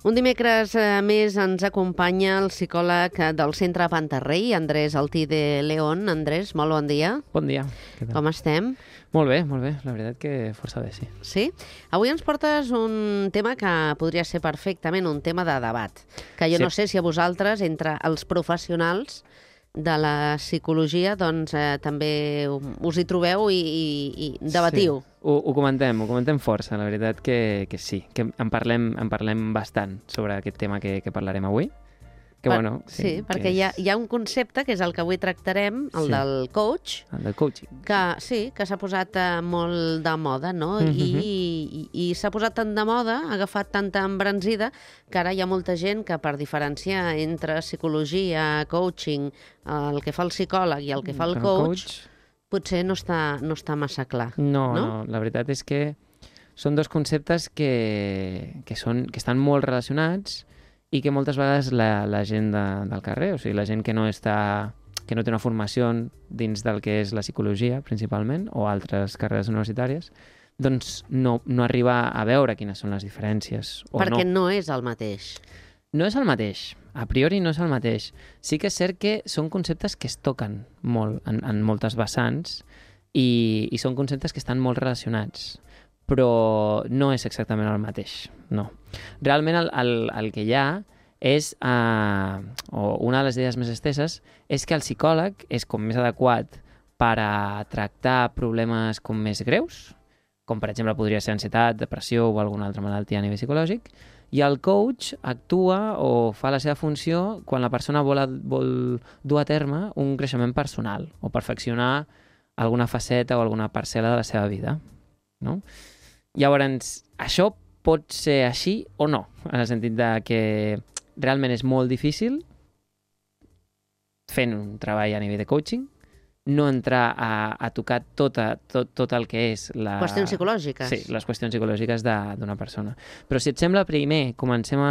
Un dimecres més ens acompanya el psicòleg del Centre Pantarrey, Andrés Altí de León. Andrés, molt bon dia. Bon dia. Com estem? Molt bé. La veritat que força bé, sí. Sí? Avui ens portes un tema que podria ser perfectament un tema de debat, que jo no sé si a vosaltres, entre els professionals de la psicologia, doncs també us hi trobeu i debatiu. Sí. Ho comentem força, la veritat que sí, que en parlem bastant sobre aquest tema que parlarem avui. Sí, perquè hi ha un concepte, que és el que avui tractarem, el del coach. El del coaching. Que s'ha posat molt de moda, no? I s'ha posat tant de moda, ha agafat tanta embranzida, que ara hi ha molta gent que, per diferenciar entre psicologia, coaching, el que fa el psicòleg i el que fa el coach, potser no està massa clar. No, la veritat és que són dos conceptes que estan molt relacionats i que moltes vegades la gent del carrer, o sigui, la gent que no té una formació dins del que és la psicologia, principalment, o altres carreres universitàries, doncs no arriba a veure quines són les diferències. Perquè no és el mateix. No és el mateix. A priori no és el mateix. Sí que és cert que són conceptes que es toquen molt en moltes vessants i són conceptes que estan molt relacionats, però no és exactament el mateix, no. Realment el que hi ha és, o una de les idees més esteses, és que el psicòleg és com més adequat per a tractar problemes com més greus, com per exemple podria ser ansietat, depressió o alguna altra malaltia a nivell psicològic, i el coach actua o fa la seva funció quan la persona vol dur a terme un creixement personal o perfeccionar alguna faceta o alguna parcel·la de la seva vida, no? Llavors, això pot ser així o no, en el sentit de que realment és molt difícil, fent un treball a nivell de coaching, no entrar a tocar tot el que és la... Qüestions psicològiques. Sí, les qüestions psicològiques d'una persona. Però si et sembla, primer comencem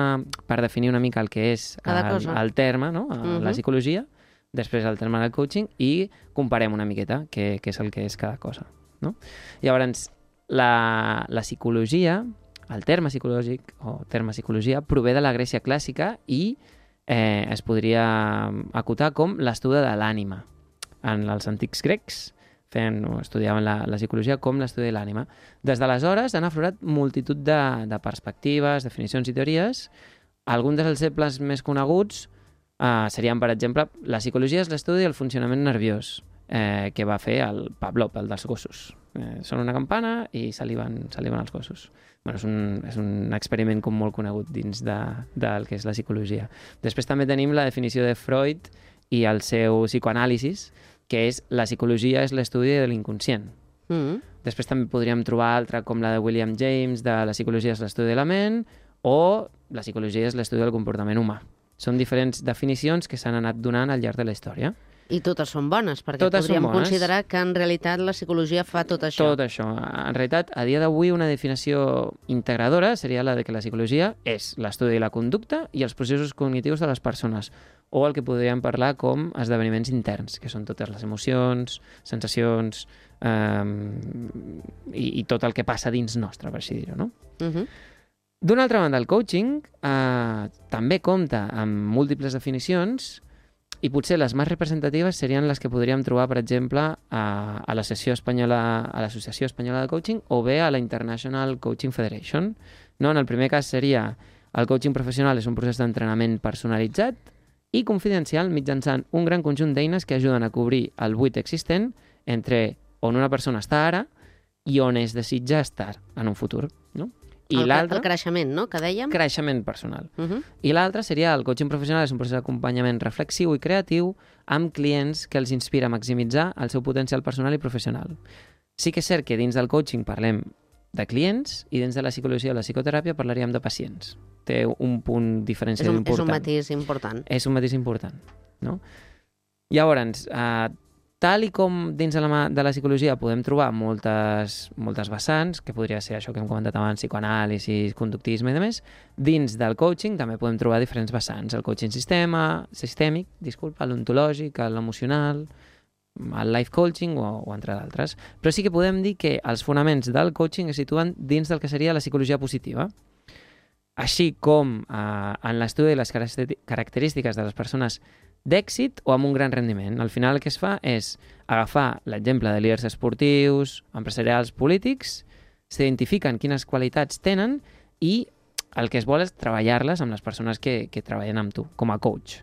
per definir una mica el que és el terme, no? La psicologia, després el terme del coaching, i comparem una miqueta què és el que és cada cosa, no? Llavors, la psicologia, el terme psicològic o terme psicologia, prové de la Grècia clàssica i es podria acotar com l'estudi de l'ànima. En els antics grecs estudiaven la psicologia com l'estudi de l'ànima. Des d'aleshores han aflorat multitud de perspectives, definicions i teories. Alguns dels exemples més coneguts serien, per exemple, la psicologia és l'estudi del funcionament nerviós que va fer el Pavlov, el dels gossos. Sona una campana i saliven els gossos. Bueno, és un experiment com molt conegut dins del que és la psicologia. Després també tenim la definició de Freud i el seu psicoanàlisis, que és la psicologia és l'estudi de l'inconscient. Després també podríem trobar altra com la de William James, de la psicologia és l'estudi de la ment, o la psicologia és l'estudi del comportament humà. Són diferents definicions que s'han anat donant al llarg de la història. I totes són bones, perquè podríem considerar que en realitat la psicologia fa tot això. Tot això. En realitat, a dia d'avui, una definició integradora seria la de que la psicologia és l'estudi de la conducta i els processos cognitius de les persones, o el que podríem parlar com esdeveniments interns, que són totes les emocions, sensacions i tot el que passa dins nostre, per així dir-ho, no? D'una altra banda, el coaching també compta amb múltiples definicions i potser les més representatives serien les que podríem trobar, per exemple, a l'Associació Espanyola de Coaching o bé a la International Coaching Federation. No? En el primer cas seria el coaching professional és un procés d'entrenament personalitzat i confidencial mitjançant un gran conjunt d'eines que ajuden a cobrir el buit existent entre on una persona està ara i on es desitja estar en un futur, no? El creixement, no?, que dèiem? Creixement personal. I l'altre seria el coaching professional, és un procés d'acompanyament reflexiu i creatiu amb clients que els inspira a maximitzar el seu potencial personal i professional. Sí que és cert que dins del coaching parlem de clients i dins de la psicologia o la psicoteràpia parlaríem de pacients. Té un punt diferencial important. És un matís important. És un matís important, no? Llavors, tal i com dins de la psicologia podem trobar moltes vessants, que podria ser això que hem comentat abans, psicoanàlisi, conductisme i demés, dins del coaching també podem trobar diferents vessants. El coaching sistèmic, l'ontològic, l'emocional, el life coaching o entre d'altres. Però sí que podem dir que els fonaments del coaching es situen dins del que seria la psicologia positiva. així com en l'estudi de les característiques de les persones d'èxit o amb un gran rendiment. Al final el que es fa és agafar l'exemple de líders esportius, empresarials, polítics, s'identifiquen quines qualitats tenen i el que es vol és treballar-les amb les persones que treballen amb tu, com a coach.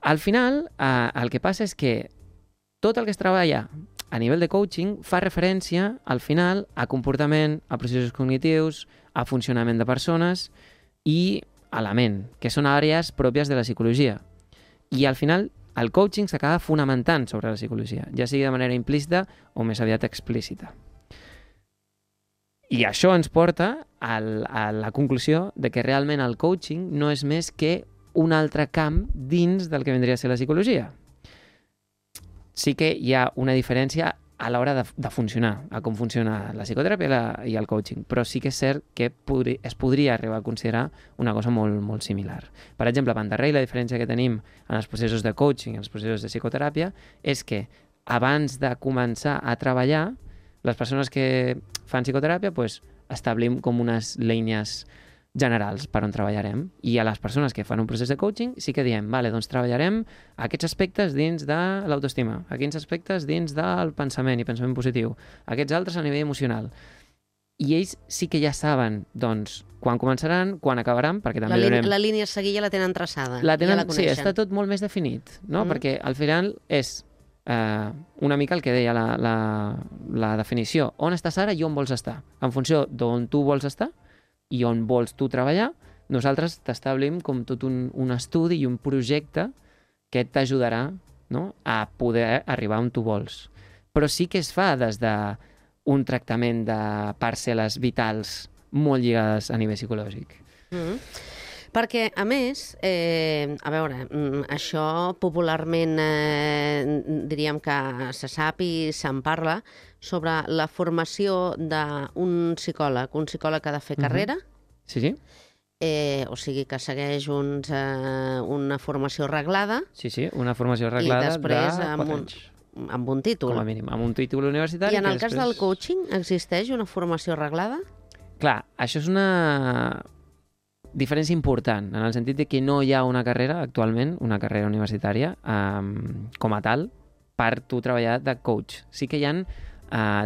Al final, el que passa és que tot el que es treballa a nivell de coaching fa referència, al final, a comportament, a processos cognitius, a funcionament de persones i a la ment, que són àrees pròpies de la psicologia. I al final, el coaching s'acaba fonamentant sobre la psicologia, ja sigui de manera implícita o més aviat explícita. I això ens porta a la conclusió de que realment el coaching no és més que un altre camp dins del que vindria a ser la psicologia. Sí que hi ha una diferència a l'hora de funcionar, a com funciona la psicoteràpia i el coaching, però sí que és cert que es podria arribar a considerar una cosa molt, molt similar. Per exemple, a Pantarrey, la diferència que tenim en els processos de coaching i els processos de psicoteràpia és que abans de començar a treballar, les persones que fan psicoteràpia establim com unes línies generals per on treballarem. I a les persones que fan un procés de coaching sí que diem, vale, doncs treballarem aquests aspectes dins de l'autoestima, aquests aspectes dins del pensament i pensament positiu, aquests altres a nivell emocional. I ells sí que ja saben, doncs, quan començaran, quan acabaran, perquè també la línia a seguir ja la tenen traçada. Ja la coneixen. Sí, està tot molt més definit, no? Perquè al final és una mica el que deia la definició. On estàs ara i on vols estar? En funció d'on tu vols estar i on vols tu treballar, nosaltres t'establim com tot un estudi i un projecte que t'ajudarà, no?, a poder arribar on tu vols. Però sí que es fa des d'un tractament de parcel·les vitals molt lligades a nivell psicològic. Perquè, a més, a veure, això popularment diríem que se sap i se'n parla sobre la formació d'un psicòleg. Un psicòleg ha de fer carrera. Sí. O sigui, que segueix una formació reglada. Sí, una formació reglada de 4 anys. Amb un títol. Com a mínim, amb un títol universitari. I en el cas del coaching existeix una formació reglada? Clar, això és una diferència important, en el sentit de que no hi ha una carrera actualment, una carrera universitària, com a tal, per tu treballar de coach. Sí que hi ha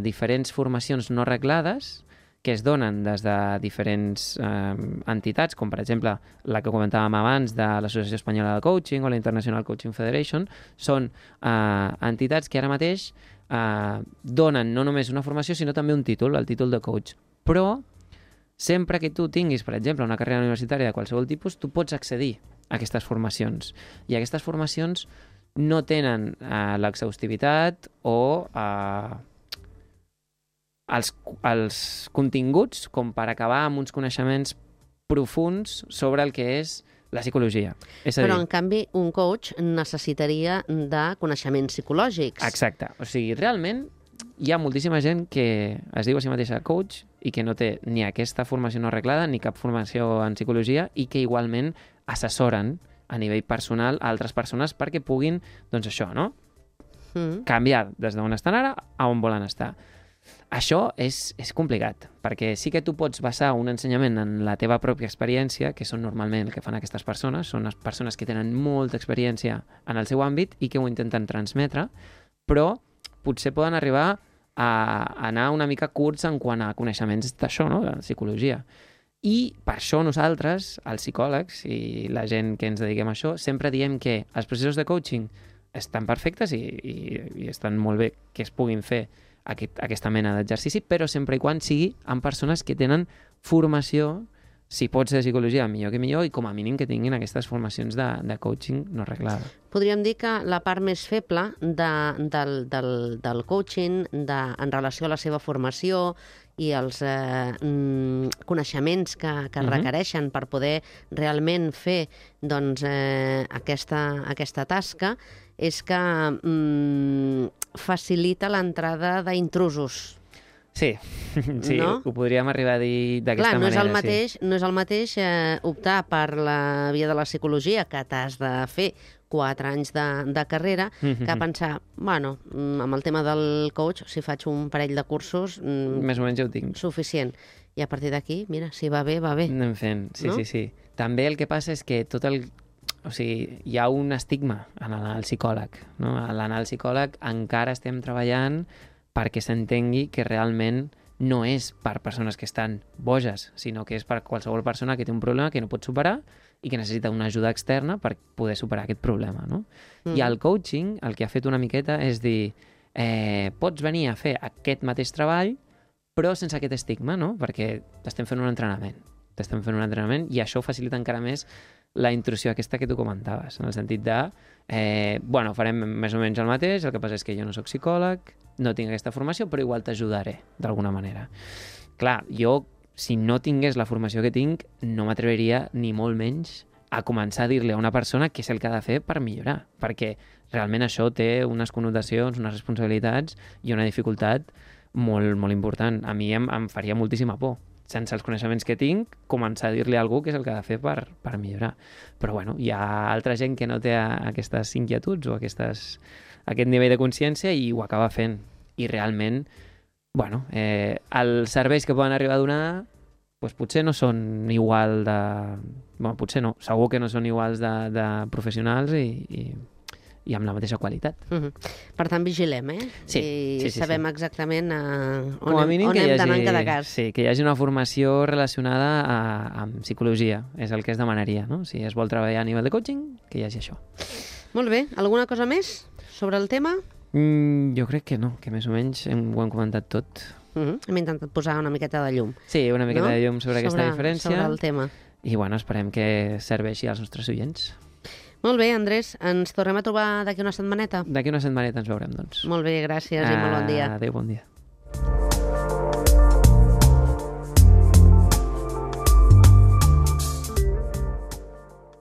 diferents formacions no reglades que es donen des de diferents entitats, com per exemple la que comentàvem abans de l'Associació Espanyola de Coaching o la International Coaching Federation. Són entitats que ara mateix donen no només una formació, sinó també un títol, el títol de coach. Però sempre que tu tinguis, per exemple, una carrera universitària de qualsevol tipus, tu pots accedir a aquestes formacions. I aquestes formacions no tenen l'exhaustivitat o els continguts com per acabar amb uns coneixements profuns sobre el que és la psicologia. Però, en canvi, un coach necessitaria de coneixements psicològics. Exacte. O sigui, realment hi ha moltíssima gent que es diu a si mateixa coach i que no té ni aquesta formació no arreglada ni cap formació en psicologia i que igualment assessoren a nivell personal a altres persones perquè puguin, doncs això, no? Canviar des d'on estan ara a on volen estar. Això és complicat, perquè sí que tu pots basar un ensenyament en la teva pròpia experiència, que són normalment el que fan aquestes persones, són les persones que tenen molta experiència en el seu àmbit i que ho intenten transmetre, però potser poden arribar a anar una mica curts en quant a coneixements d'això, no?, de psicologia. I per això nosaltres, els psicòlegs i la gent que ens dediquem a això, sempre diem que els processos de coaching estan perfectes i estan molt bé que es puguin fer aquesta mena d'exercici, però sempre i quan sigui amb persones que tenen formació, si pot ser de psicologia, millor que millor, i com a mínim que tinguin aquestes formacions de coaching no reglada. Podríem dir que la part més feble del coaching en relació a la seva formació i els coneixements que requereixen per poder realment fer aquesta tasca és que facilita l'entrada d'intrusos. Sí, no? Ho podríem arribar a dir d'aquesta manera. No és el mateix optar per la via de la psicologia, que t'has de fer 4 anys de carrera, que pensar, bueno, amb el tema del coach, si faig un parell de cursos... Més o menys ja ho tinc. Suficient. I a partir d'aquí, mira, si va bé, va bé. Anem fent, sí, no? Sí. També el que passa és que o sigui, hi ha un estigma en l'anar al psicòleg, no? A l'anar al psicòleg encara estem treballant perquè s'entengui que realment no és per persones que estan boges, sinó que és per qualsevol persona que té un problema que no pot superar i que necessita una ajuda externa per poder superar aquest problema, no? I el coaching el que ha fet una miqueta és dir pots venir a fer aquest mateix treball però sense aquest estigma, no? Perquè t'estem fent un entrenament i això facilita encara més la intrusió aquesta que tu comentaves, en el sentit de farem més o menys el mateix, el que passa és que jo no sóc psicòleg, no tinc aquesta formació, però igual t'ajudaré d'alguna manera. Clar, jo, si no tingués la formació que tinc, no m'atreviria ni molt menys a començar a dir-li a una persona què és el que ha de fer per millorar, perquè realment això té unes connotacions, unes responsabilitats i una dificultat molt, molt important. A mi em faria moltíssima por, sense els coneixements que tinc, començar a dir-li a algú què és el que ha de fer per millorar. Però bueno, hi ha altra gent que no té aquestes inquietuds o aquest nivell de consciència i ho acaba fent. I realment, els serveis que poden arribar a donar potser no són igual de... potser no, segur que no són iguals de professionals i amb la mateixa qualitat. Per tant, vigilem, Sí. I sabem exactament on hem d'anar en cada cas. Sí, que hi hagi una formació relacionada amb psicologia, és el que es demanaria, no? Si es vol treballar a nivell de coaching, que hi hagi això. Molt bé. Alguna cosa més sobre el tema? Jo crec que no, que més o menys ho hem comentat tot. Hem intentat posar una miqueta de llum. Sí, una miqueta de llum sobre aquesta diferència. Sobre el tema. I esperem que serveixi als nostres oients. Molt bé, Andrés. Ens tornem a trobar d'aquí una setmaneta? D'aquí una setmaneta ens veurem, doncs. Molt bé, gràcies i molt bon dia. Adéu, bon dia.